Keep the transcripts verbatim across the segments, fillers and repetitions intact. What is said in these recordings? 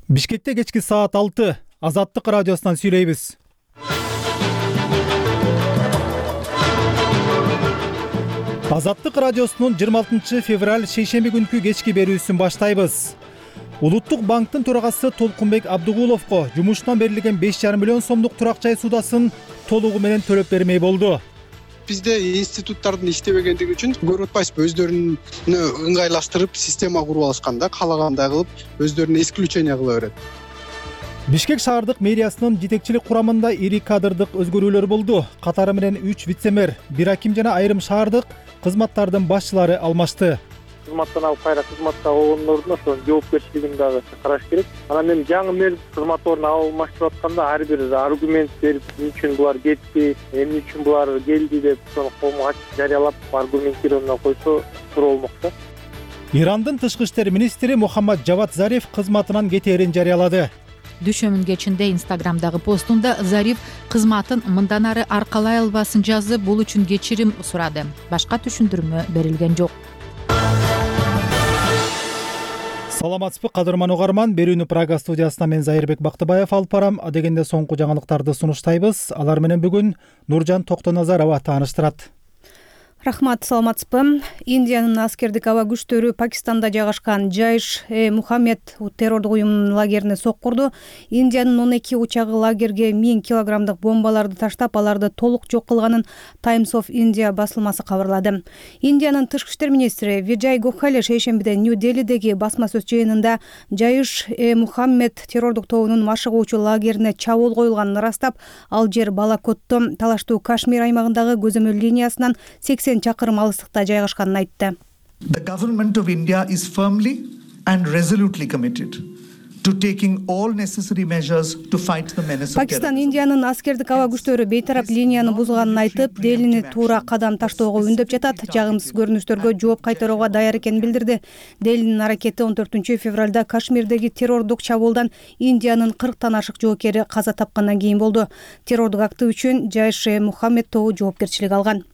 Бишкекте кечки саат алты. Азаттык радиосунан сүйлөйбүз. Азаттык радиосунун жыйырма алтынчы февраль шейшемби күнкү кечки берүүсүн баштайбыз. Улуттук банктын төрагасы Толкунбек Абдыгуловго жумушунан берилген беш жарым миллион сомдук турак жай суудасын толугу менен төлөп бермей болду. Бизде институттардын иштебегендиги үчүн көрүп атпайсызбы, өздөрүнү ыңгайлаштырып система куруп алышканда каалагандай кылып өздөрүнө исключение кыла берет. Бишкек шаардык мэриясынын жетекчилик курамында ири кадрдык өзгөрүүлөр болду. Катары менен үч вице-мэр, бир аким жана айрым шаардык кызматтардын башчылары алмашты. Кызматтан алып кайра кызматка алгандардын ошо жоопкерчилигин дагы караш керек. Анан эми жаңы мэр кызмат ордуна алмаштырып атканда ар бир аргумент берип, эмне үчүн булар кетти, эмне үчүн булар келди деп ошону коомго ачык жарыялап аргументированно койсо туура болмок да. Ирандын тышкы иштер министри Мухаммад Жавад Зариф кызматынан кетээрин жарыялады. Дүйшөмүн кечинде Инстаграмдагы постунда Зариф кызматын мындан ары аркалай албасын жазып, бул үчүн кечирим сурады. Башка түшүндүрмө берилген жок. Саламатсызбы, кадырман угарман. Берүүнү Прага студиясынан мен Зайырбек Бактыбаев алып барам. Адегенде соңку жаңылыктарды сунуштайбыз. Алар менен бүгүн Нуржан Токтоназарова тааныштырат. Рахмат, саламатсызбы. Индиянын аскердик аба күчтөрү Пакистанда жайгашкан Жайш э Мухаммед террордук уюмунун лагерине сокку урду. Индиянын он эки учагы лагерге миң килограммдык бомбаларды таштап, аларды толук жок кылганын Times of India басылмасы кабарлады. Индиянын тышкы иштер министри Виджай Гохали шейшембиде Нью-Делидеги басма сөз жыйынында Жайш э Мухаммед террордук тобунун машыгуучу лагерине чабуул коюлганын ырастап, ал жер Балакотто талаштуу Кашмир аймагындагы көзөмөл линиясынан сексен чакырым алыстыкта жайгашканын айтты. The government of India is firmly and resolutely committed to taking all necessary measures to fight the menace of terrorism. Пакистан Индиянын аскердик аба күчтөрү бейтарап линияны бузганын айтып, Делини туура кадам таштоого үндөп жатат, жагымсыз көрүнүштөргө жооп кайтарууга даяр экенин билдирди. Делинин аракети он төртүнчү февралда Кашмирдеги террордук чабуулдан Индиянын кырктан ашык жоокери каза тапкандан кийин болду. Террордук акты үчүн Жайш э Мухаммед тобу жоопкерчилик алган.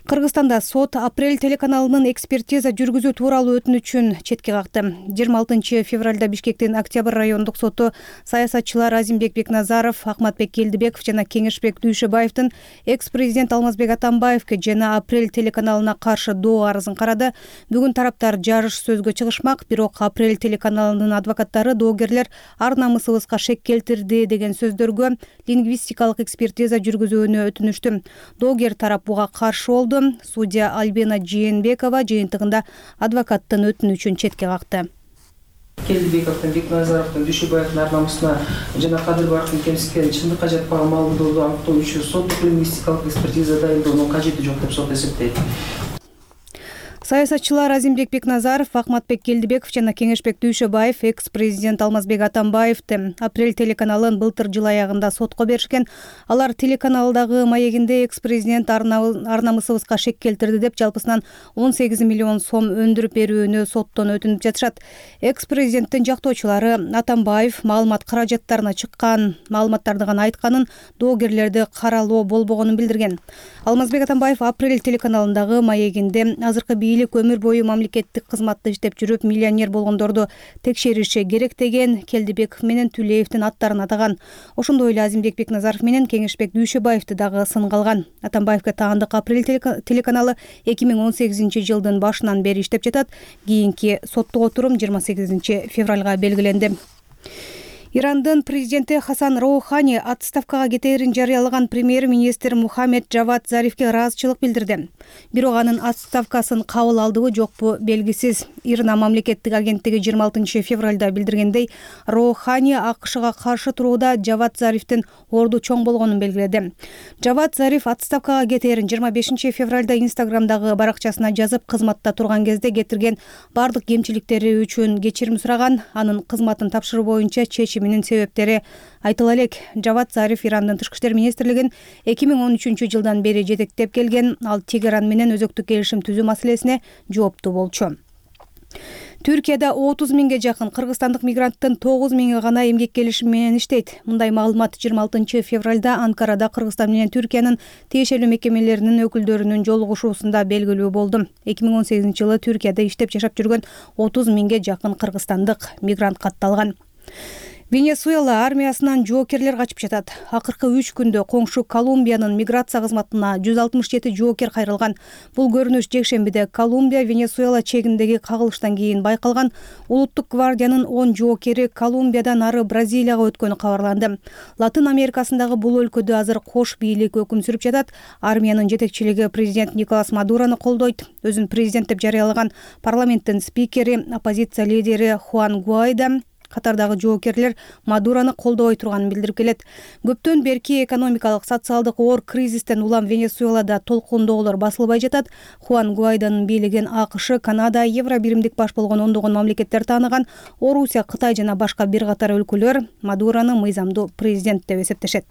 Кыргызстанда сот Апрель телеканалынын экспертиза жүргүзүү тууралуу өтүнүчүн четке какты. жыйырма алтынчы февралда Бишкектин Октябрь райондук соту саясатчылар Азимбек Бекназаров, Акматбек Келдибеков жана Кеңешбек Дүйшөбаевдин экс-президент Алмазбек Атамбаевге жана Апрель телеканалына каршы доо арызын карады. Бүгүн тараптар жарыш сөзгө чыгышмак, бирок Апрель телеканалынын адвокаттары доогерлер ар намысыбызга шек келтирди деген сөздөргө лингвистикалык экспертиза жүргүзүүнү өтүнүштү. Доогер тарап буга каршы болду. Судья Альбина Жээнбекова жыйынтыгында адвокаттын өтүнүчүн четке какты. Келдибековдун, Бекназаровдун, Дүйшөбаевдин ар намысына жана Кадырбаевдин кемситкени чындыкка жатпаган маалыматтарды аныктоо үчүн соттук лингвистикалык экспертиза дайындоонун кажети жок деп сот эсептейт. Саясатчылар Азимбек Бекназаров, Акматбек Келдибеков жана Кеңешбек Дүйшөбаев экс-президент Алмазбек Атамбаевди Апрель телеканалын былтыр жыл аягында сотко беришкен. Алар телеканалдагы маегинде экс-президент ар намысыбызга шек келтирди деп жалпысынан он сегиз миллион сом өндүрүп берүүнү соттон өтүнүп жатышат. Экс-президенттин жактоочулары Атамбаев маалымат каражаттарына чыккан маалыматтарды гана айтканын, доогерлерди каралоо болбогонун билдирген. Алмазбек Атамбаев Апрель телеканалындагы маегинде азыркы бийлик өмүр бою мамлекеттик кызматта иштеп жүрүп миллионер болгондорду текшериши керек деген Келдибеков менен Түлеевдин аттарын атаган. Ошондой эле Азимбек Бекназаров менен Кеңешбек Дүйшөбаевди дагы сынга алган. Атамбаевге таандык Апрель телеканалы эки миң он сегизинчи жылдын башынан бери иштеп жатат. Кийинки соттук отурум жыйырма сегизинчи февралга белгиленди. Ирандын президенти Хасан Роухани отставкага кетээрин жарыялаган премьер-министр Мухаммед Жавад Зарифке ыраазычылык билдирди. Бирок анын отставкасын кабыл алдыбы жокпу белгисиз. Ирна мамлекеттик агенттиги жыйырма алтынчы февралда билдиргендей, Роухани АКШга каршы турууда Жавад Зарифтин орду чоң болгонун белгиледи. Жавад Зариф отставкага кетээрин жыйырма бешинчи февралда Инстаграмдагы баракчасына жазып, кызматта турган кезде кетирген бардык кемчиликтери үчүн кечирим сураган. Анын кызматын тапшыруу боюнча чечиминин себептери айтыла элек. Жавад Зариф Ирандын тышкы иштер министрлигин эки миң он үчүнчү жылдан бери жетектеп келген. Ал Тегеран менен өзөктүк келишим түзүү маселесине жооптуу болчу. Түркияда отуз миңге жакын кыргызстандык мигранттын тогуз миңи гана эмгек келишими менен иштейт. Мындай маалымат жыйырма алтынчы февралда Анкарада Кыргызстан менен Түркиянын тиешелүү мекемелеринин өкүлдөрүнүн жолугушуусунда белгилүү болду. эки миң он сегизинчи жылы Түркияда иштеп жашап жүргөн отуз миңге жакын кыргызстандык мигрант катталган. Венесуэла армиясынан жоокерлер качып жатат. Акыркы үч күндө коңшу Колумбиянын миграция кызматына жүз алтымыш жети жоокер кайрылган. Бул көрүнүш жекшембиде Колумбия Венесуэла чегиндеги кагылыштан кийин байкалган. Улуттук гвардиянын он жоокери Колумбиядан ары Бразилияга өткөнү кабарланды. Латын Америкасындагы бул өлкөдө азыр кош бийлик өкүм сүрүп жатат. Армиянын жетекчилиги президент Николас Мадурону колдойт. Өзүн президент деп жарыялаган парламенттин спикери, оппозиция лидери Хуан Гуайдо катардагы жоокерлер Мадурону колдобой турганын билдирип келет. Көптөн берки экономикалык, социалдык оор кризистен улам Венесуэлада толкундоолор басылбай жатат. Хуан Гуайдонун бийлигин АКШ, Канада, Евробиримдик баш болгон ондогон мамлекеттер тааныган. Орусия, Кытай жана башка бир катар өлкөлөр Мадурону мыйзамдуу президент деп эсептешет.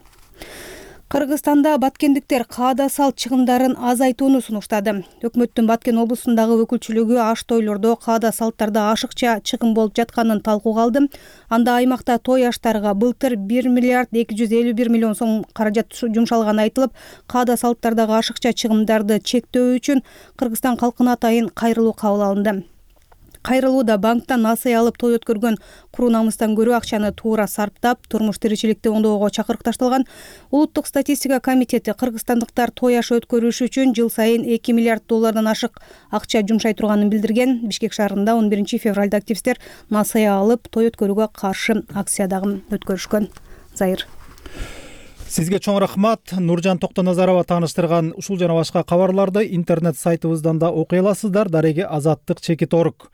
Кыргызстанда баткендиктер каада салт чыгымдарын азайтууну сунуштады. Өкмөттүн Баткен облусундагы өкүлчүлүгү аш тойлордо каада салттарда ашыкча чыгым болуп жатканын талкууга алды. Анда аймакта той аштарга былтыр бир миллиард эки жүз элүү бир миллион сом каражат жумшалганы айтылып, каада салттардагы ашыкча чыгымдарды чектөө үчүн Кыргызстан калкына атайын кайрылуу кабыл алынды. Кайрылууда банктан насыя алып той өткөргөн куру намыстан көрүү акчаны туура сарптап, турмуш тиричиликти оңдоого чакырык ташталган. Улуттук статистика комитети кыргызстандыктар той ашы өткөрүш үчүн жыл сайын эки миллиард доллардан ашык акча жумшай турганын билдирген. Бишкек шаарында он биринчи февралда активисттер насыя алып той өткөрүүгө каршы акция дагы өткөрүшкөн. Зайыр. Сизге чоң рахмат. Нуржан Токтоназарова тааныштырган ушул жана башка кабарларды интернет сайтыбыздан да окуй аласыздар. Дареги азаттык чекит орг.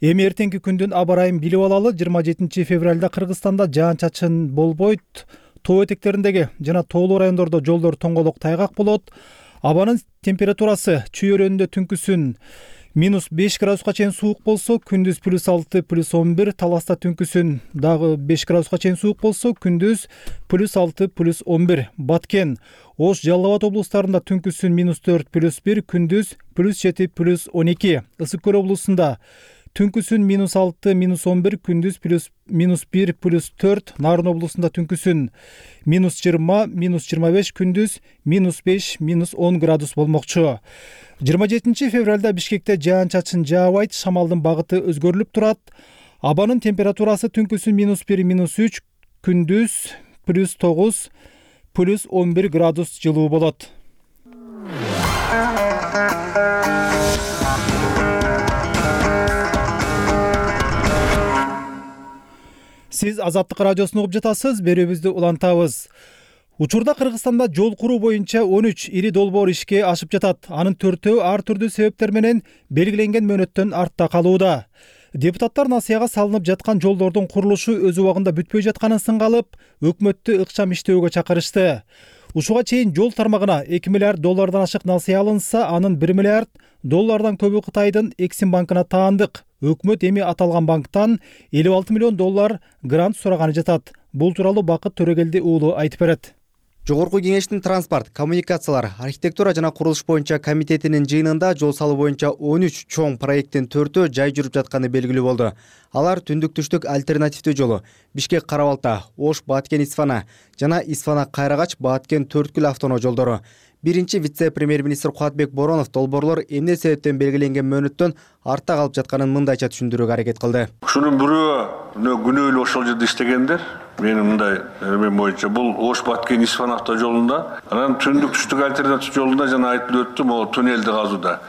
Эми эртеңки күндүн аба ырайын билип алалы. жыйырма жетинчи февралда Кыргызстанда жаан чачын болбойт. Тоо этектериндеги жана тоолуу райондордо жолдор тоңголок тайгак болот. Абанын температурасы чүй өрөөнүндө түнкүсүн минус беш градуска чейин суук болсо, күндүз плюс алты, плюс он бир, Таласта түнкүсүн дагы беш градуска чейин суук болсо, күндүз плюс алты, плюс он бир. Баткен, Ош, Жалал Абад облустарында түнкүсүн минус төрт, плюс бир, күндүз плюс жети, плюс он эки. Ысык Көл облусунда түнкүсүн минус алты, минус он бир, күндүз плюс минус бир, плюс төрт. Нарын облусунда түнкүсүн минус жыйырма, минус жыйырма беш, күндүз минус беш, минус он градус болмокчу. жыйырма жетинчи февралда Бишкекте жаан чачын жаабайт, шамалдын багыты өзгөрүлүп турат. Абанын температурасы түнкүсүн минус бир, минус үч, күндүз плюс тогуз, плюс он бир градус жылуу болот. Сиз Азаттык радиосун угуп жатасыз, берүүбүздү улантабыз. Учурда Кыргызстанда жол куруу боюнча он үч ири долбоор ишке ашып жатат. Анын төртөө ар түрдүү себептер менен белгиленген мөөнөттөн артта калууда. Депутаттар насыяга салынып жаткан жолдордун курулушу өз убагында бүтпөй жатканын сынга алып, өкмөттү ыкчам иштөөгө чакырышты. Ушуга чейин жол тармагына эки миллиард доллардан ашык насыя алынса, анын бир миллиард доллардан көбү Кытайдын Эксим банкына таандык. Өкмөт эми аталган банктан элүү алты миллион доллар грант сураганы жатат. Бул тууралуу Бакыт Төрөгелди уулу айтып берет. Жогорку кеңештин транспорт, коммуникациялар, архитектура жана курулуш боюнча комитетинин жыйынында жол салуу боюнча он үч чоң проекттин төртөө жай жүрүп жатканы белгилүү болду. Алар түндүк-түштүк альтернативдүү жолу, Бишкек Карабалта, Ош Баткен Исфана жана Исфана Кайрагач Баткен Төрткүл автоноо жолдору. Биринчи вице-премьер-министр Кубатбек Боронов долбоорлор эмне себептен белгиленген мөөнөттөн артта калып жатканын мындайча түшүндүрүүгө аракет кылды. Ушунун бирөө күнөөлүү ошол жерде иштегендер. Менин мындай эмен боюнча бул Ош Баткен Исфан автожолунда, анан түндүк-түштүк альтернатив жолунда жана айтылып өттү, могу туннелди казууда.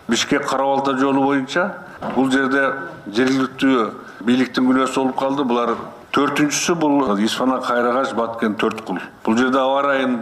Бишкек Карабалта жолу боюнча бул жерде жергиликтүү бийликтин күнөөсү болуп калды. Булар төртүнчүсү бул Исфана Кайрагач Баткен Төрткүл. Бул жерде аба ырайын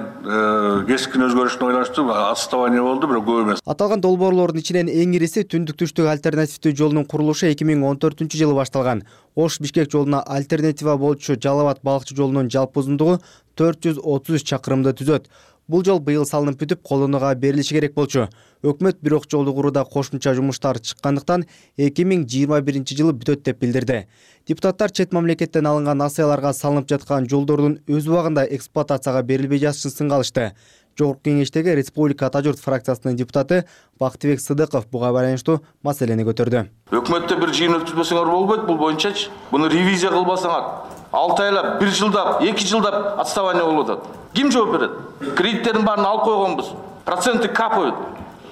кескин өзгөрүшүнө байланыштуу отставание болду, бирок көп эмес. Аталган долбоорлордун ичинен эң ириси түндүк-түштүк альтернативдүү жолунун курулушу эки миң он төртүнчү жылы башталган. Ош Бишкек жолуна альтернатива болчу Жалал Абад балыкчы жолунун жалпы узундугу төрт жүз отуз үч чакырымды түзөт. Бул жол быйыл салынып бүтүп, колдонууга берилиши керек болчу. Өкмөт бирок жолду курууда кошумча жумуштар чыккандыктан эки миң жыйырма биринчи жылы бүтөт деп билдирди. Депутаттар чет мамлекеттен алынган насыяларга салынып жаткан жолдордун өз убагында эксплуатацияга берилбей жатышын сынга алышты. Жогорку кеңештеги Республика Ата журт фракциясынын депутаты Бактыбек Сыдыков буга байланыштуу маселени көтөрдү. Өкмөттө бир жыйын өткөзбөсөңөр болбойт, бул боюнчачы. Буну ревизия кылбасаңар, алты айлап, бир жылдап, эки жылдап отставание болуп атат. Ким жооп берет? Кредиттердин баарын алып койгонбуз. Проценты капают.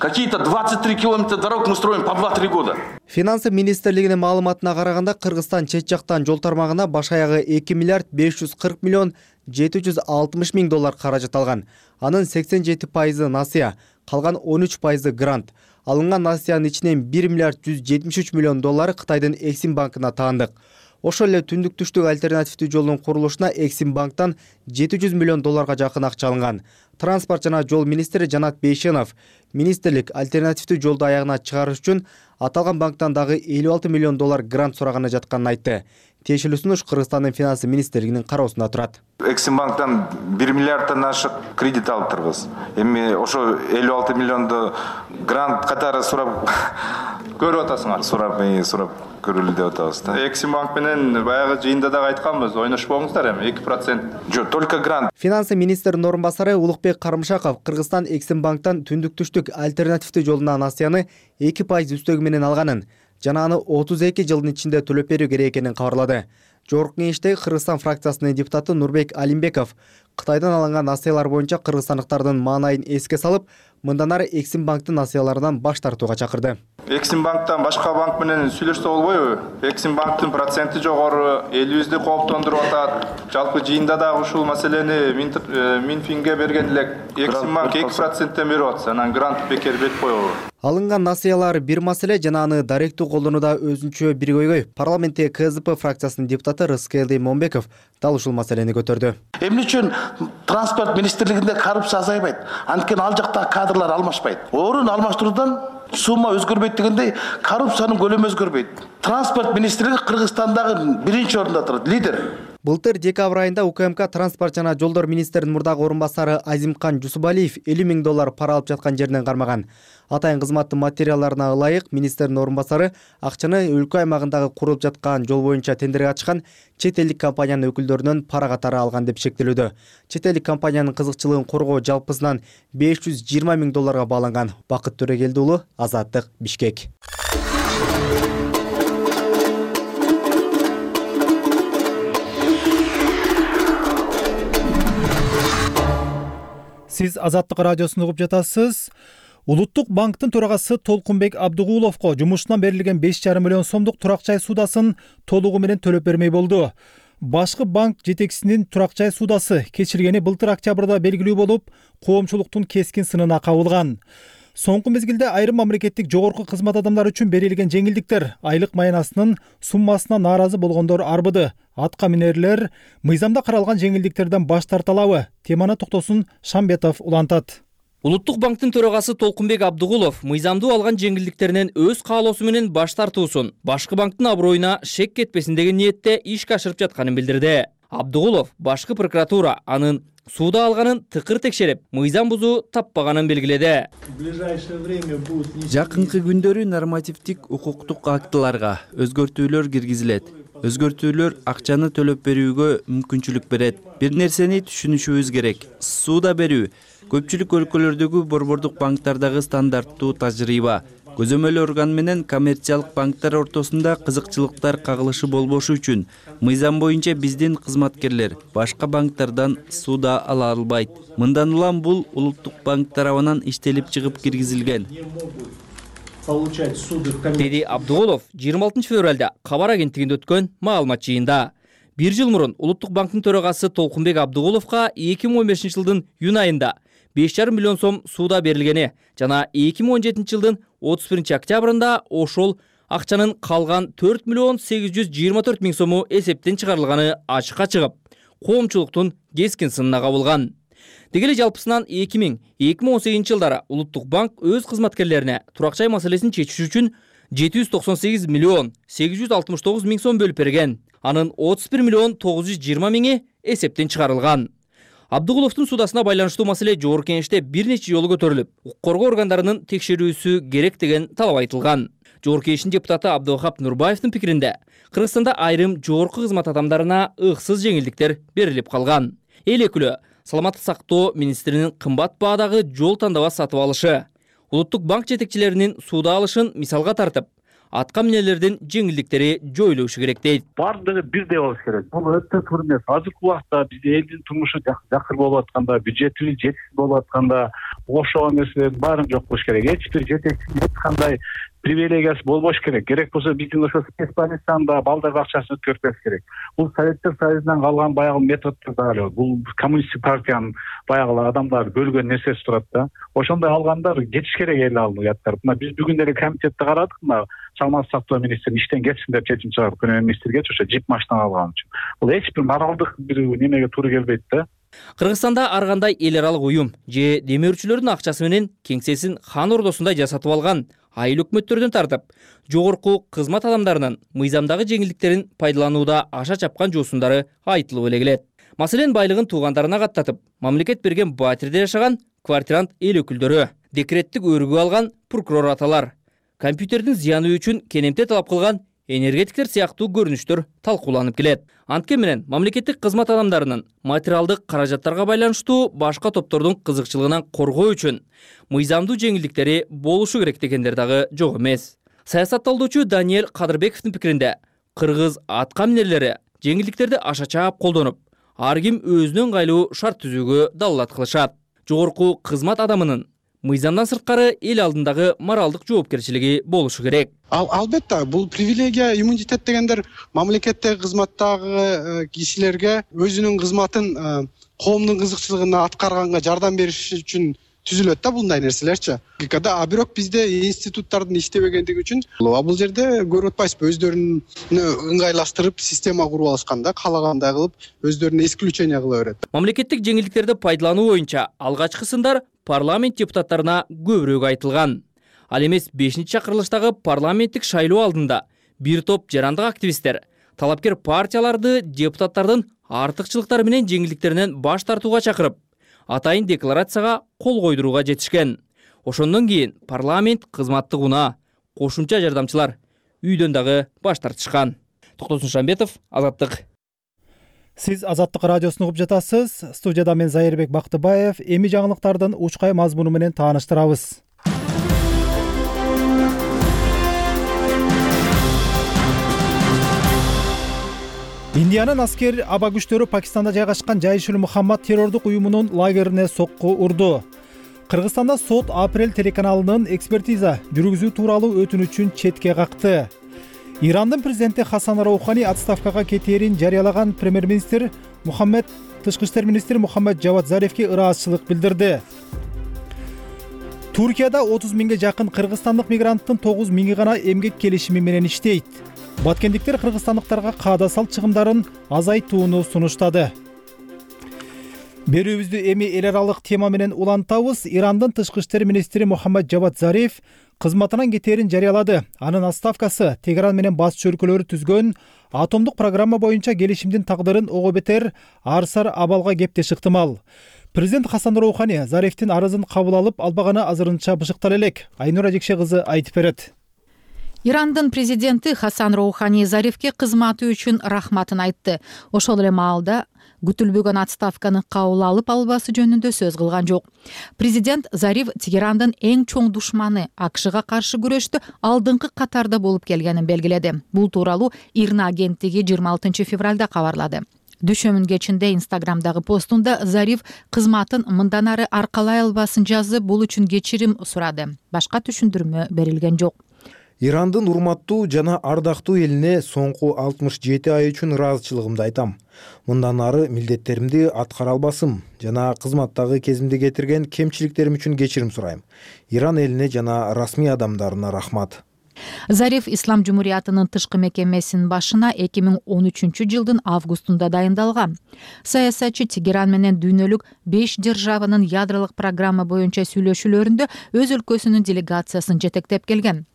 Какие-то двадцать три километра дорог мы строим по два-три года. Финансы министрлигинин маалыматына караганда Кыргызстан чет жактан жол тармагына баш аягы эки миллиард беш жүз кырк миллион жети жүз алтымыш миң доллар каражат алган. Анын сексен жети пайызы насыя, калган он үч пайызы грант. Алынган насыянын ичинен бир миллиард жүз жетимиш үч миллион доллары Кытайдын Эксим банкына таандык. Ошол эле түндүк түштүк альтернативдүү жолдун курулушуна Эксим банктан жети жүз миллион долларга жакын акча алынган. Транспорт жана жол министри Жанат Бейшенов министрлик альтернативдүү жолду аягына чыгарыш үчүн аталган банктан дагы элүү алты миллион доллар грант сураганы жатканын айтты. Тиешелүү сунуш Кыргызстандын финансы министрлигинин кароосунда турат. Эксим банктан бир миллиарддан ашык кредит алыптырбыз. Эми ошо элүү алты миллионду грант катары сурап көрүп атасыңар. Сурап, сурап көрүлү деп атабыз да. Эксим банк менен баягы жыйында дагы айтканбыз, ойношпоңуздар эми эки процент. Жок, только грант. Финансы министринин орун басары Улукбек Карымшаков Кыргызстан Эксим банктан түндүк түштүк альтернативдүү жолуна насыяны эки пайыз үстөгү менен алганын жана аны отуз эки жылдын ичинде төлөп берүү керек экенин кабарлады. Жогорку кеңештеги Кыргызстан фракциясынын депутаты Нурбек Алимбеков Кытайдан алынган насыялар боюнча кыргызстандыктардын маанайын эске салып, мындан ары Эксим банктын насыяларынан баш тартууга чакырды. Эксим банктан башка банк менен сүйлөшсө болбойбу? Эксим банктын проценти жогору, элибизди кооптондуруп атат. Жалпы жыйында дагы ушул маселени Минфинге берген элек. Эксим банк эки проценттен берип атса, анан грант бекер берип койобу? Алынган насыялар бир маселе жана аны даректүү колдонууда өзүнчө бир көйгөй. Парламентте КЗП фракциясынын депутаты Рыскелди Момбеков дал ушул маселени көтөрдү. Эмне үчүн транспорт министрлигинде коррупция азайбайт? Анткени ал жакта кадрлар алмашпайт. Орун алмаштыруудан сумма өзгөрбөйт дегендей, коррупциянын көлөмү өзгөрбөйт. Транспорт министрлиги Кыргызстандагы биринчи орунда турат, лидер. Былтыр декабрь айында УКМК транспорт жана жолдор министринин мурдагы орун басары Азимкан Жусубалиев элүү миң доллар пара алып жаткан жеринен кармаган. Атайын кызматтын материалдарына ылайык министринин орун басары акчаны өлкө аймагындагы курулуп жаткан жол боюнча тендерге ачкан чет элдик компаниянын өкүлдөрүнөн пара катары алган деп шектелүүдө. Чет элдик компаниянын кызыкчылыгын коргоо жалпысынан беш жүз жыйырма миң долларга бааланган. Бакыт Төрөгелди уулу, Азаттык, Бишкек. Сиз Азаттык радиосун угуп жатасыз. Улуттук банктын төрагасы Толкунбек Абдыгуловго жумушунан берилген беш жарым миллион сомдук турак жай суудасын толугу менен төлөп бермей болду. Башкы банк жетекчисинин турак жай суудасы кечиргени былтыр октябрда белгилүү болуп, коомчулуктун кескин сынына кабылган. Соңку мезгилде айрым мамлекеттик жогорку кызмат адамдары үчүн берилген жеңилдиктер айлык маянасынын суммасына нааразы болгондор арбыды. Атка минерлер мыйзамда каралган жеңилдиктерден баш тарта алабы? Теманы токтосун Шамбетов улантат. Улуттук банктын төрагасы Толкунбек Абдыгулов мыйзамдуу алган жеңилдиктеринен өз каалоосу менен баш тартуусун, башкы банктын аброюна шек кетпесин деген ниетте ишке ашырып жатканын билдирди. Абдыгулов башкы прокуратура анын сууда алганын тыкыр текшерип, мыйзам бузуу таппаганын белгиледи. Жакынкы күндөрү нормативдик укуктук актыларга өзгөртүүлөр киргизилет. Өзгөртүүлөр акчаны төлөп берүүгө мүмкүнчүлүк берет. Бир нерсени түшүнүшүбүз керек. Сууда берүү көпчүлүк өлкөлөрдөгү борбордук банктардагы стандарттуу тажрыйба. Көзөмөл орган менен коммерциялык банктар ортосунда кызыкчылыктар кагылышы болбошу үчүн мыйзам боюнча биздин кызматкерлер башка банктардан сууда ала албайт. Мындан улам бул улуттук банк тарабынан иштелип чыгып киргизилген. Деди Абдыгулов жыйырма алтынчы февралда кабар агенттигинде өткөн маалымат жыйында. Бир жыл мурун Улуттук банктын төрагасы Толкунбек Абдыгуловго эки миң он бешинчи жылдын июнь айында беш жарым миллион сом сууда берилгени жана эки миң он жетинчи жылдын отуз биринчи октябрында ошол акчанын калган төрт миллион сегиз жүз жыйырма төрт миң сому эсептен чыгарылганы ачыкка чыгып, коомчулуктун кескин сынына кабылган. Деги эле жалпысынан эки миң эки миң он сегизинчи жылдары Улуттук банк өз кызматкерлерине турак жай маселесин чечиш үчүн жети жүз токсон сегиз миллион сегиз жүз алтымыш тогуз миң сом бөлүп берген. Анын отуз бир миллион тогуз жүз жыйырма миңи эсептен чыгарылган. Абдыгуловдун суудасына байланыштуу маселе жогорку кеңеште бир нече жолу көтөрүлүп, укук коргоо органдарынын текшерүүсү керек деген талап айтылган. Жогорку кеңештин депутаты Абдывахап Нурбаевдин пикиринде, Кыргызстанда айрым жогорку кызмат адамдарына ыксыз жеңилдиктер берилип калган. Эл өкүлү саламаттык сактоо министринин кымбат баадагы жол тандабас сатып алышы, Улуттук банк жетекчилеринин сууда алышын мисалга тартып, атка минелердин жеңилдиктери жоюлушу керек дейт. Бардыгы бирдей болуш керек. Бул өтө туура эмес. Азыркы убакта бизде элдин турмушу жакшы болуп атканда, бюджетибиз жетишсиз болуп атканда, окшогон нерселердин баарын жок кылыш керек. Эч бир жетекчинин эч кандай привилегиясы болбош керек. Керек болсо биздин ошо спецбольницада балдар бакчасын өткөрүп керек. Бул Советтер Союзунан калган баягы методдор да эле. Бул коммунисттик партиянын баягы адамдар бөлгөн нерсеси турат да. Ошондой алгандар кетиш керек эл алыяттар. Мына биз бүгүн эле комитетте карадык, мына саламаттык сактоо министри иштен кетсин деп чечим чыгарды. Премьер-министрге ошо жип машина алган үчүн. Бул эч бир моралдык бир немеге туура келбейт да. Кыргызстанда ар кандай эл аралык уюм же демөөрчүлөрдүн акчасы менен кеңсесин хан ордосундай жасатып алган айыл өкмөттөрдөн тартып, жогорку кызмат адамдарынын мыйзамдагы жеңилдиктерин пайдаланууда аша чапкан жоосундары айтылып эле келет. Маселен, байлыгын туугандарына каттатып, мамлекет берген батирде жашаган квартирант эл өкүлдөрү, декреттик өргүү алган прокурор аталар, компьютердин зыяны үчүн кенемте талап кылган энергетиктер сыяктуу көрүнүштөр талкууланып келет. Антке менен мамлекеттик кызмат адамдарынын материалдык каражаттарга байланыштуу башка топтордун кызыкчылыгынан коргоо үчүн мыйзамдуу жеңилдиктери болушу керек дегендер дагы жок эмес. Саясатталдоочу Даниэль Кадырбековдун пикиринде, кыргыз атка минерлери жеңилдиктерди аша чаап колдонуп, ар ким өзүнө ыңгайлуу шарт түзүүгө далалат кылышат. Жогорку кызмат адамынын мыйзамдан сырткары эл алдындагы моралдык жоопкерчилиги болушу керек. Ал албетте бул привилегия, иммунитет дегендер мамлекеттеги кызматтагы кишилерге өзүнүн кызматын коомдун кызыкчылыгына аткарганга жардам бериш үчүн түзүлөт да мындай нерселерчи. А бирок бизде институттардын иштебегендиги үчүн бул жерде көрүп атпайсызбы, өздөрүнү ыңгайлаштырып система куруп алышканда, каалагандай кылып өздөрүнө исключение кыла берет. Мамлекеттик жеңилдиктерди пайдалануу боюнча алгачкы сындар парламент депутаттарына көбүрөөк айтылган. Ал эмес бешинчи чакырылыштагы парламенттик шайлоо алдында бир топ жарандык активисттер талапкер партияларды депутаттардын артыкчылыктары менен жеңилдиктеринен баш тартууга чакырып, атайын декларацияга кол койдурууга жетишкен. Ошондон кийин парламент кызматтык унаа, кошумча жардамчылар үйдөн дагы баш тартышкан. Токтосун Шамбетов, Азаттык. Сиз Азаттык радиосун угуп жатасыз. Студияда мен Зайырбек Бактыбаев. Эми жаңылыктардын учкай мазмуну менен тааныштырабыз. Индиянын аскер аба күчтөрү Пакистанда жайгашкан Жайшул Мухаммад террордук уюмунун лагерине сокку урду. Кыргызстанда сот Апрель телеканалынын экспертиза жүргүзүү тууралуу өтүнүчүн четке какты. Ирандын президенти Хасан Роухани отставкага кетээрин жарыялаган премьер-министр Мухаммед тышкы иштер министри Мухаммед Жавад Зарифке ыраазычылык билдирди. Туркияда отуз миңге жакын кыргызстандык мигранттын тогуз миңи гана эмгек келишими менен иштейт. Баткендиктер кыргызстандыктарга каада салт чыгымдарын азайтууну сунуштады. Берүүбүздү эми эл аралык тема менен улантабыз. Ирандын тышкы иштер министри Мухаммед Жавад Зариф кызматынан кетээрин жарыялады. Анын отставкасы Тегеран менен батыш өлкөлөрү түзгөн атомдук программа боюнча келишимдин тагдырын ого бетер арсар абалга кептеш ыктымал. Президент Хасан Роухани Зарифтин арызын кабыл алып албаганы азырынча бышыктала элек. Айнура Жекше кызы айтып берет. Ирандын президенти Хасан Роухани Зарифке кызматы үчүн рахматын айтты. Ошол эле маалда күтүлбөгөн отставканы кабыл алып албасы жөнүндө сөз кылган жок. Президент Зариф Тегерандын эң чоң душманы, АКШга каршы күрөштө алдыңкы катарда болуп келгенин белгиледи. Бул тууралуу Ирна агенттиги жыйырма алтынчы февралда кабарлады. Дүйшөмүн кечинде Инстаграмдагы постунда Зариф кызматын мындан ары аркалай албасын жазып, бул үчүн кечирим сурады. Башка түшүндүрмө берилген жок. Ирандын урматтуу жана ардактуу элине соңку алтымыш жети ай үчүн ыраазычылыгымды айтам. Мындан ары милдеттеримди аткара албасым жана кызматтагы кезимде кетирген кемчиликтерим үчүн кечирим сурайм. Иран элине жана расмий адамдарына рахмат. Зариф Ислам Жумуриятынын тышкы мекемесинин башына эки миң он үчүнчү жылдын августунда дайындалган. Саясатчы Тегеран менен дүйнөлүк беш державанын ядролук программа боюнча сүйлөшүүлөрүндө өз өлкөсүнүн делегациясын жетектеп келген.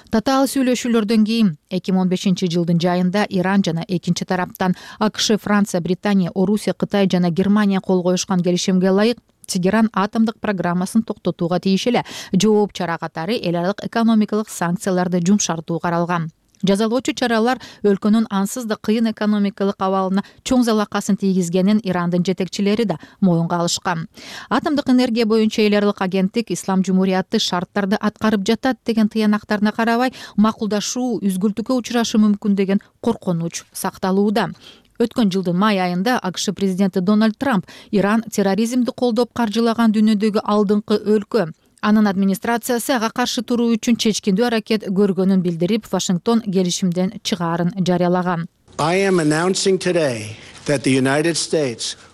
Татаал сүйлөшүүлөрдөн кийин эки миң он бешинчи жылдын жайында Иран жана экинчи тараптан АКШ, Франция, Британия, Орусия, Кытай жана Германия кол коюшкан келишимге ылайык Тегеран атомдук программасын токтотууга тийиш эле жооп чара катары эл аралык экономикалык санкцияларды жумшартуу каралган. Жазалоочу чаралар өлкөнүн ансыз да кыйын экономикалык абалына чоң залакасын тийгизгенин Ирандын жетекчилери да моюнга алышкан. Атомдук энергия боюнча эл аралык агенттик Ислам жумурияты шарттарды аткарып жатат деген тыянактарына карабай макулдашуу үзгүлтүккө учурашы мүмкүн деген коркунуч сакталууда. Өткөн жылдын май айында АКШ президенти Дональд Трамп Иран терроризмди колдоп каржылаган дүйнөдөгү алдыңкы өлкө. Анын администрациясы ага каршы туруу үчүн чечкиндүү аракет көргөнүн билдирип, Вашингтон келишимден чыгаарын жарыялаган.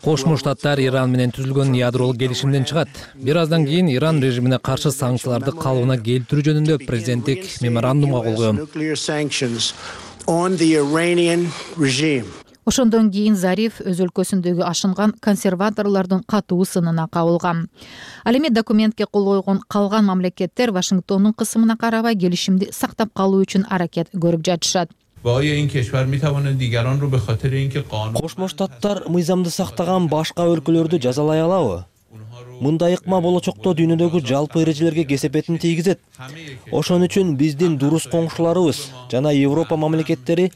Кошмо Штаттар Иран менен түзүлгөн ядролук келишимден чыгат. Бир аздан кийин Иран режимине каршы санкцияларды калыбына келтирүү жөнүндө президенттик меморандумга кол койгон. Ошондон кийин Зариф өз өлкөсүндөгү ашынган консерваторлордун катуу сынына кабылган. Ал эми документке кол койгон калган мамлекеттер Вашингтондун кысымына карабай келишимди сактап калуу үчүн аракет көрүп жатышат. Кошмо Штаттар мыйзамды сактаган башка өлкөлөрдү жазалай алабы? Мындай ыкма болочокто дүйнөдөгү жалпы эрежелерге кесепетин тийгизет. Ошон үчүн биздин дурус коңшуларыбыз жана Европа мамлекеттери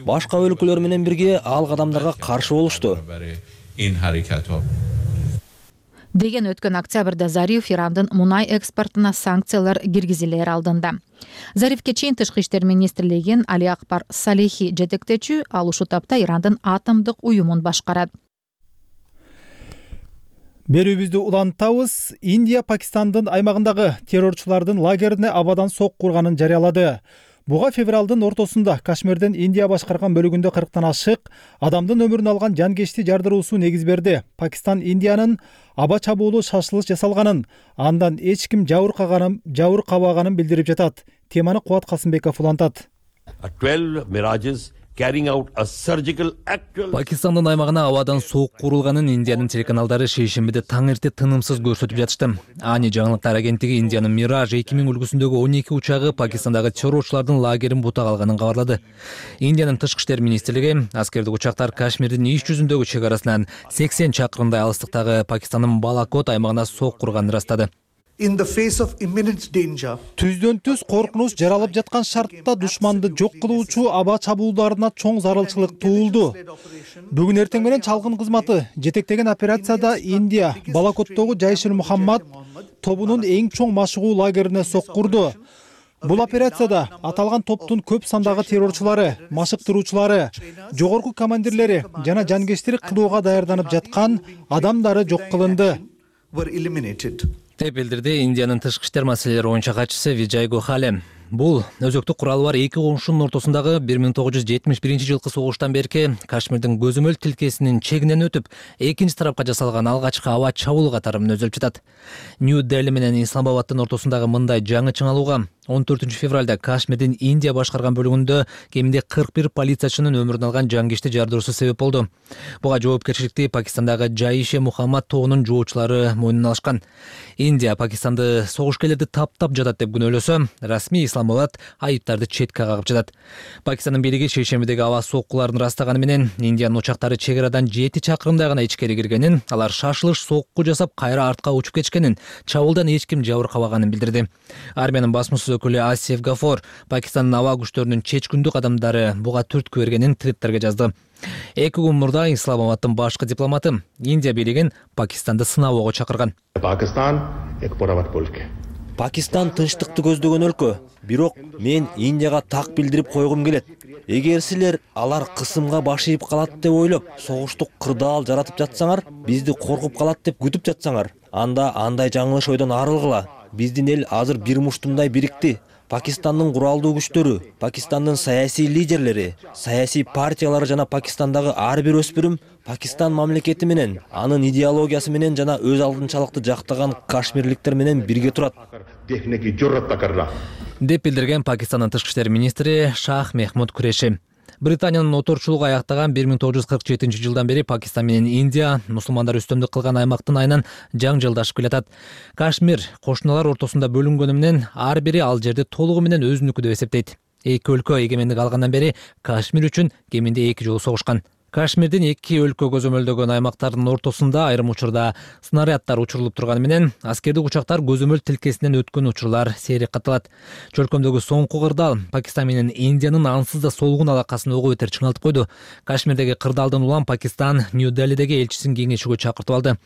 башка өлкөлөр менен бирге ал кадамдарга каршы болушту. Деген өткөн октябрда Зариф Ирандын мунай экспортуна санкциялар киргизилер алдында. Зарифке чейин Тышкы иштер министрлигин Али Акбар Салихи жетектечү, ал ушул тапта Ирандын атомдук уюмун башкарат. Берүүбүздү улантабыз. Индия Пакистандын аймагындагы террорчулардын лагерине абадан сок курганын жарыялады. Буга февралдын ортосунда Кашмирдин Индия башкарган бөлүгүндө кырктан ашык адамдын өмүрүн алган жангечти жардыруусу негиз берди. Пакистан Индиянын аба чабуулу шашылыш жасалганын, андан эч ким жабыр каганын, жабыр кабаганын билдирип жатат. Теманы Кубат Касымбеков улантат. Пакистандын аймагына абадан соок курулганын Индиянын телеканалдары шейшембиде таң эрте тынымсыз көрсөтүп жатышты. Ани жаңылыктар агенттиги Индиянын Мираж эки миң үлгүсүндөгү он эки учагы Пакистандагы террорчулардын лагерин бутак алганын кабарлады. Индиянын Тышкы иштер министрлиги аскердик учактар Кашмирдин иш жүзүндөгү чек арасынан сексен чакырымдай алыстыктагы Пакистандын Балакот аймагына соок курганын ырастады. In the face of imminent danger, Түздөн түз коркунуч жаралып жаткан шартта душманды жок кылуучу аба чабуулдарына чоң зарылчылык туулду. Бүгүн эртең менен чалгын кызматы жетектеген операцияда Индия Балакоттогу Жайшил Мухаммад тобунун эң чоң машыгуу лагерине сок курду. Бул операцияда аталган топтун көп сандагы террорчулары, машыктыруучулары, жогорку командирлери жана жангечтик кылууга даярданып жаткан адамдары жок кылынды. were eliminated. деп билдирди Индиянын тышкы иштер маселелери боюнча катчысы Виджай Гохале. Бул өзөктүк куралы бар эки коңшунун ортосундагы бир миң тогуз жүз жетимиш биринчи жылкы согуштан берки Кашмирдин көзөмөл тилкесинин чегинен өтүп, экинчи тарапка жасалган алгачкы аба чабуул катары мүнөзөлүп жатат. Нью-Дели менен Исламабаддын ортосундагы мындай жаңы чыңалууга он төртүнчү февралда Кашмирдин Индия башкарган бөлүгүндө кеминде кырк бир полициячынын өмүрүн алган жангечти жардыруусу себеп болду. Буга жоопкерчиликти Пакистандагы Жайше Мухаммад тобунун жоочулары мойнуна алышкан. Индия Пакистанды согушкерлерди таптап жатат деп күнөөлөсө, расмий Исламабад айыптарды четке кагып жатат. Пакистандын бийлиги шейшембидеги аба соккуларын ырастаганы менен Индиянын учактары чек арадан жети чакырымдай гана ичкери киргенин, алар шашылыш сокку жасап кайра артка учуп кетишкенин, чабуулдан эч ким жабыр кабаганын билдирди. Армиянын басмасөз өкүлү Асиф Гафор Пакистандын аба күчтөрүнүн чечкүндүк адамдары буга түрткү бергенин Твиттерге жазды. Эки күн мурда Исламабаддын башкы дипломаты Индия бийлигин Пакистанды сынабоого чакырган. Пакистан тынчтыкты көздөгөн өлкө, бирок мен Индияга так билдирип койгум келет. Эгер силер алар кысымга баш ийип калат деп ойлоп, согуштук кырдаал жаратып жатсаңар, бизди коркуп калат деп күтүп жатсаңар, анда андай жаңылыш ойдон арылгыла. Биздин эл азыр бир муштумдай бирикти. Пакистандын куралдуу күчтөрү, Пакистандын саясий лидерлери, саясий партиялары жана Пакистандагы ар бир өспүрүм Пакистан мамлекети менен, анын идеологиясы менен жана өз алдынчалыкты жактаган кашмирликтер менен бирге турат. деп билдирген Пакистандын тышкы иштер министри Шах Мехмуд Куреши. Британиянын оторчулугу аяктаган бир миң тогуз жүз кырк жетинчи жылдан бери Пакистан менен Индия мусулмандар үстөмдүк кылган аймактын айынан жаңжылдашып келатат. Кашмир кошуналар ортосунда бөлүнгөнү менен ар бири ал жерди толугу менен өзүнүкү деп эсептейт. Эки өлкө эгемендик алгандан бери Кашмир үчүн кеминде эки жолу согушкан. Кашмирдин эки өлкө көзөмөлдөгөн аймактардын ортосунда айрым учурда снаряддар учурулуп турганы менен аскердик учактар көзөмөл тилкесинен өткөн учурлар сейрек катталат. Чөлкөмдөгү соңку кырдаал Пакистан менен Индиянын ансыз да солгун алакасын ого бетер чыңалтып койду. Кашмирдеги кырдаалдын улам Пакистан Нью-Делидеги элчисин кеңешүүгө чакыртып алды.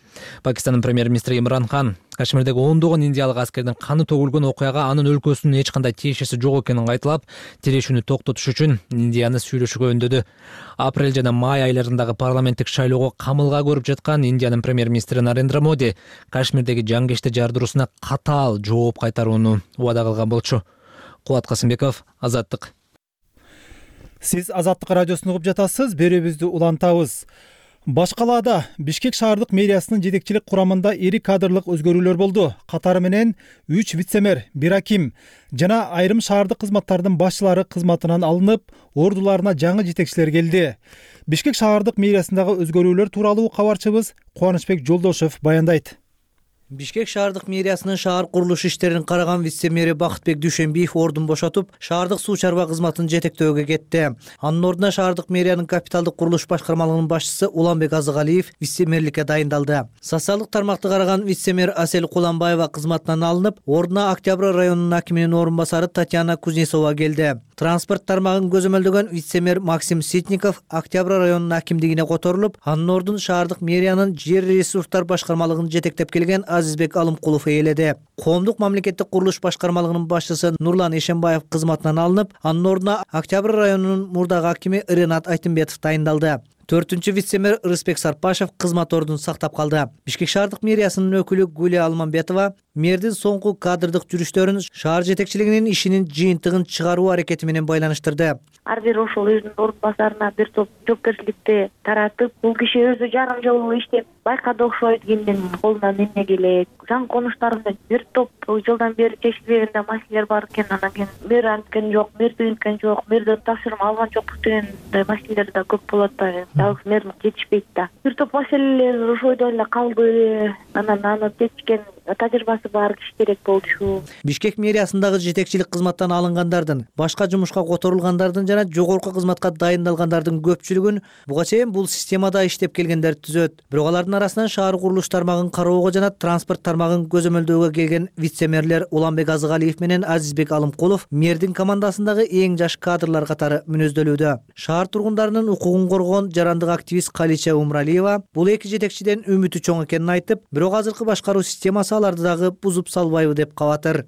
Пакистандын премьер-министри Имран Хан Кашмирдеги ондогон индиялык аскердин каны төгүлгөн окуяга анын өлкөсүнүн эч кандай тиешеси жок экенин айтылап, тирешүүнү токтотуш үчүн Индияны сүйлөшүүгө үндөдү. Апрель жана май айларындагы парламенттик шайлоого камылга көрүп жаткан Индиянын премьер-министри Нарендра Моди Кашмирдеги жангешти жардыруусуна катаал жооп кайтарууну убада кылган болчу. Кубат Касымбеков, Азаттык. Сиз Азаттык радиосун угуп жатасыз, берүүбүздү улантабыз. Башкалаада Бишкек шаардык мэриясынын жетекчилик курамында ири кадрлык өзгөрүүлөр болду. Катары менен үч вице-мэр, бир аким жана айрым шаардык кызматтардын башчылары кызматынан алынып, ордуларына жаңы жетекчилер келди. Бишкек шаардык мэриясындагы өзгөрүүлөр тууралуу кабарчыбыз Кубанычбек Жолдошев баяндайт. Бишкек шаардык мэриясынын шаар курулуш иштерин караган вице-мэри Бакытбек Дүйшөнбиев ордун бошотуп, шаардык суу чарба кызматын жетектөөгө кетти. Анын ордуна шаардык мэриянын капиталдык курулуш башкармалыгынын башчысы Уланбек Азыгалиев вице-мэрликке дайындалды. Социалдык тармакты караган вице-мэр Асель Куланбаева кызматынан алынып, ордуна Октябрь районунун акиминин орун басары Татьяна Кузнецова келди. Транспорт тармагын көзөмөлдөгөн вице-мэр Максим Ситников Октябрь районунун акимдигине которулуп, анын ордун шаардык мэриянын жер ресурстар башкармалыгын жетектеп келген Азизбек Алымкулов ээледи. Коомдук мамлекеттик курулуш башкармалыгынын башчысы Нурлан Эшенбаев кызматынан алынып, анын ордуна Октябрь районунун мурдагы акими Ренат Айтымбетов дайындалды. Төртүнчү вице-мэр Рыспек Сарпашев кызмат ордун сактап калды. Бишкек шаардык мэриясынын өкүлү Гүлия Алманбетова мэрдин соңку кадрдык жүрүштөрүн шаар жетекчилигинин ишинин жыйынтыгын чыгаруу аракети менен байланыштырды. Ар бир ошол өзүнүн орун басарына бир топ жоопкерчиликти таратып, бул киши өзү жарым жыл иштеп байкады окшойт, кимдин колунан эмне келет. Жаңы конуштарында бир топ жылдан бери чечилбеген маселелер бар экен, анан кийин мэр анткен жок, мэр тыйынткен жок, мэрден тапшырма алган жокпуз деген маселелер да көп болот да. Жалгыз мэр жетишпейт да. Бир топ маселелер ошойдо эле калды. Анан аны чечкен тажрыйбасы бар киши керек болчу. Бишкек мэриясындагы жетекчилик кызматтан алынгандардын, башка жумушка которулгандардын жана жогорку кызматка дайындалгандардын көпчүлүгүн буга чейин бул системада иштеп келгендер түзөт. Бирок алардын арасынан шаар курулуш тармагын кароого жана транспорт тармагын көзөмөлдөөгө келген вице-мэрлер Уланбек Азыгалиев менен Азизбек Алымкулов мэрдин командасындагы эң жаш кадрлар катары мүнөздөлүүдө. Шаар тургундарынын укугун коргогон жарандык активист Калича Умралиева бул эки жетекчиден үмүтү чоң экенин айтып, бирок азыркы башкаруу системасы аларды дагы бузуп салбайбы деп кабатыр.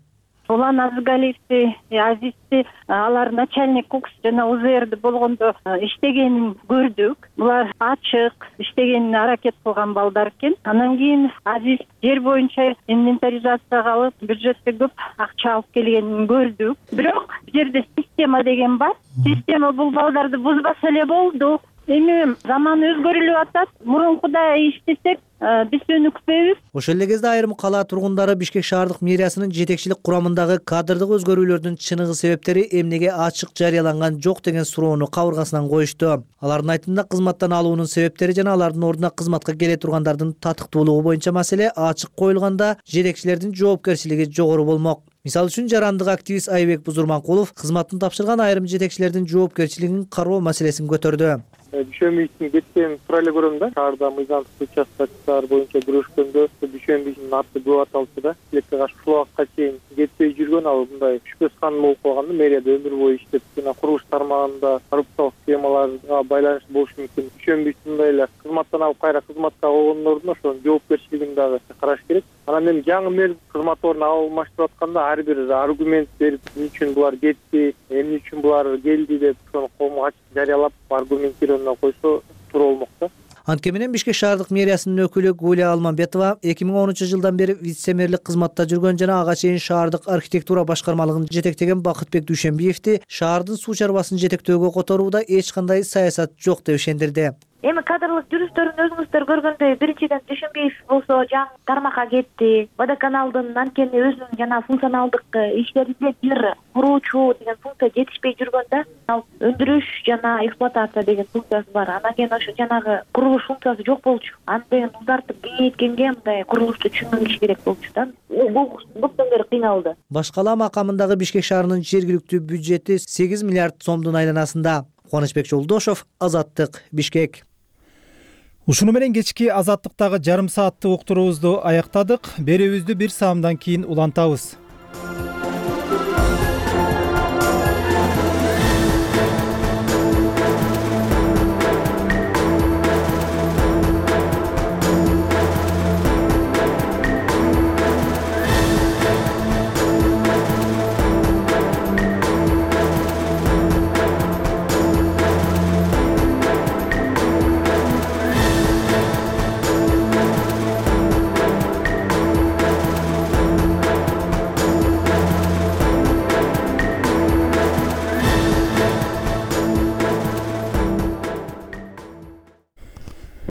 Улан Азыгалиевди, Азизди, алар начальник укс жана УЗРди болгондо иштегенин көрдүк. Булар ачык иштегенине аракет кылган балдар экен. Анан кийин Азиз жер боюнча инвентаризацияга алып, бюджетке көп акча алып келгенин көрдүк. Бирок бул жерде система деген бар. Система бул балдарды бузбаса эле болду. Эми заман өзгөрүлүп атат. Мурункудай иштесек, биз өнүкпөйбүз. Ошол эле кезде айрым кала тургундары Бишкек шаардык мэриясынын жетекчилик курамындагы кадрдык өзгөрүүлөрдүн чыныгы себептери эмнеге ачык жарыяланган жок деген суроону кабыргасынан коюшту. Алардын айтымында кызматтан алуунун себептери жана алардын ордуна кызматка келе тургандардын татыктуулугу боюнча маселе ачык коюлганда жетекчилердин жоопкерчилиги жогору болмок. Мисалы үчүн жарандык активист Айбек Бузурманкулов кызматын тапшырган айрым жетекчилердин жоопкерчилигин кароо маселесин көтөрдү. Дүйшөнбиевдин кеткенин туура эле көрөм да. Шаарда мыйзамсыз участкачылар боюнча күрөшкөндө Дүйшөнбиевдин аты көп аталчу да. Тилекке каршы ушул убакытка чейин кетпей жүргөн ал мындай шүпөс ханым болуп калганда мэрияда өмүр бою иштеп, жана курулуш тармагында коррупциялык схемаларга байланыштуу болушу мүмкүн. Дүйшөнбиев мындай эле кызматтан алып кайра кызматка койгондун ордуна ошонун жоопкерчилигин дагы караш керек. Анан эми жаңы мэр кызмат ордуна алмаштырып атканда ар бир аргумент берип, эмне үчүн булар кетти, эмне үчүн булар келди деп ошону коомго ачык жарыялап аргументированно койсо туура болмок да. Антке менен Бишкек шаардык мэриясынын өкүлү Гүлия Алманбетова эки миң онунчу жылдан бери вице-мэрлик кызматта жүргөн жана ага чейин шаардык архитектура башкармалыгын жетектеген Бакытбек Дүйшөнбиевди шаардын суу чарбасын жетектөөгө которууда эч кандай саясат жок деп ишендирди. Эми кадрлык жүрүштөрүн өзүңүздөр көргөндөй, биринчиден Дүйшөнбиев болсо жаңы тармакка кетти. Водоканалдын анткени өзүнүн жана функционалдык иштеринде бир куруучу деген функция жетишпей жүргөндө, ал өндүрүш жана эксплуатация деген функциясы бар. Анан кийин ошо жанагы курулуш функциясы жок болчу. Аны узартып кеңейткенге мындай курулушту түшүнгөн киши керек болчу да. Бул көптөн бери кыйналды. Башкала макамындагы Бишкек шаарынын жергиликтүү бюджети сегиз миллиард сомдун айланасында. Кубанычбек Жолдошев, Азаттык, Бишкек. Ушуну менен кечки азаттыктагы жарым сааттык уктуруубузду аяктадык. Берүүбүздү бир саамдан кийин улантабыз.